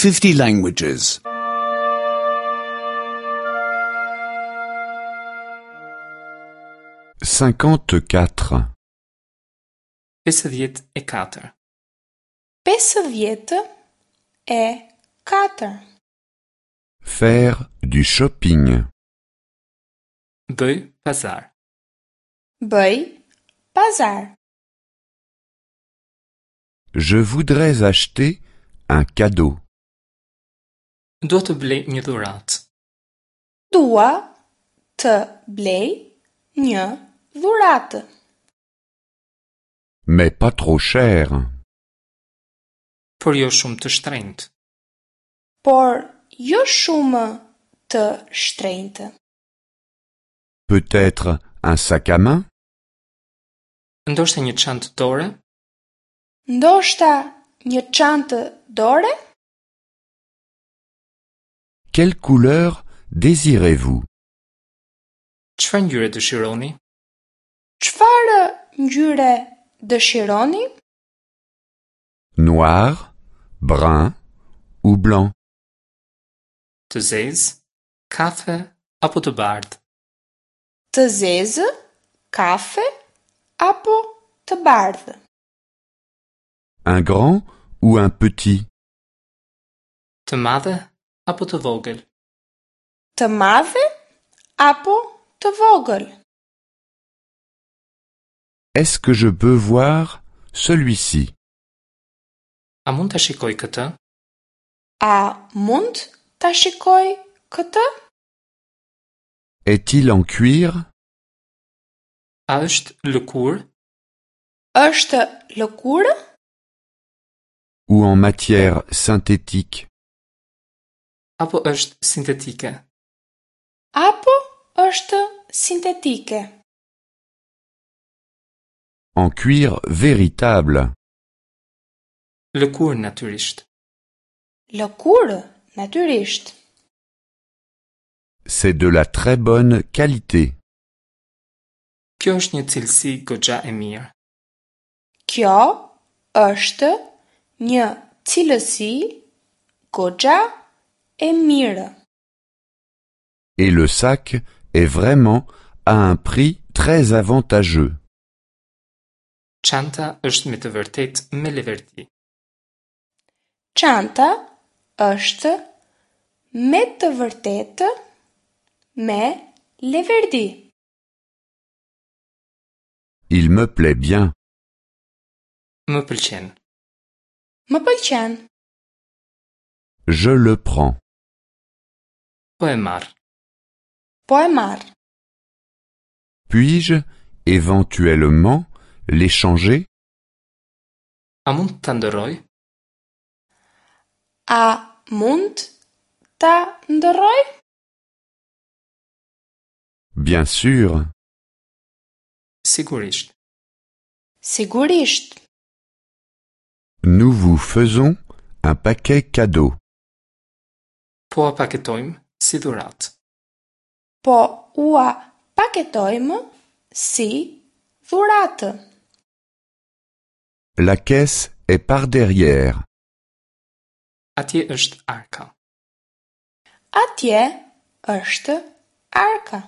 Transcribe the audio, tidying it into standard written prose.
50 languages. 54. 54. 54. Faire du shopping. Bëj pazar. Bëj pazar. Je voudrais acheter un cadeau. Dua të blej një dhuratë. Dua të blej një dhuratë. Mais pas trop cher. Por jo shumë të shtrenjtë. Por jo shumë të shtrenjtë. Peut-être un sac à main? Ndoshta një çantë dore? Ndoshta një çantë dore? Quelle couleur désirez-vous? Çfarë ngjyre dëshironi? Çfarë ngjyre dëshironi? Noir, brun ou blanc? Të zezë, kafe apo të bardhë? Të zezë, kafe apo të bardhë? Un grand ou un petit? Të madhe apo të vogël? Të madhe apo të vogël? Est-ce que je peux voir celui-ci? A mund ta shikoj këtë? A mund ta shikoj këtë? Est-il en cuir? A është lëkurë? Është lëkurë? Ou en matière synthétique? Apo është sintetike? Apo është sintetike? En cuir véritable. Lëkurë natyrisht. Lëkurë natyrisht. C'est de la très bonne qualité. Kjo është një cilësi goxha e mirë. Kjo është një cilësi goxha e mirë. Et le sac est vraiment à un prix très avantageux. Çanta është me të vërtetë me leverdi. Çanta është me të vërtetë me leverdi. Il me plaît bien. Më pëlqen. Më pëlqen. Je le prends. Po e marr. Po e marr. Puis-je éventuellement l'échanger? A mund ta ndërroj? A mund ta ndërroj? Bien sûr. Sigurisht. Sigurisht. Nous vous faisons un paquet cadeau. Po a paketojmë si dhuratë. Po ua paketojmë si dhuratë. La caisse est par derrière. Atje është arka. Atje është arka.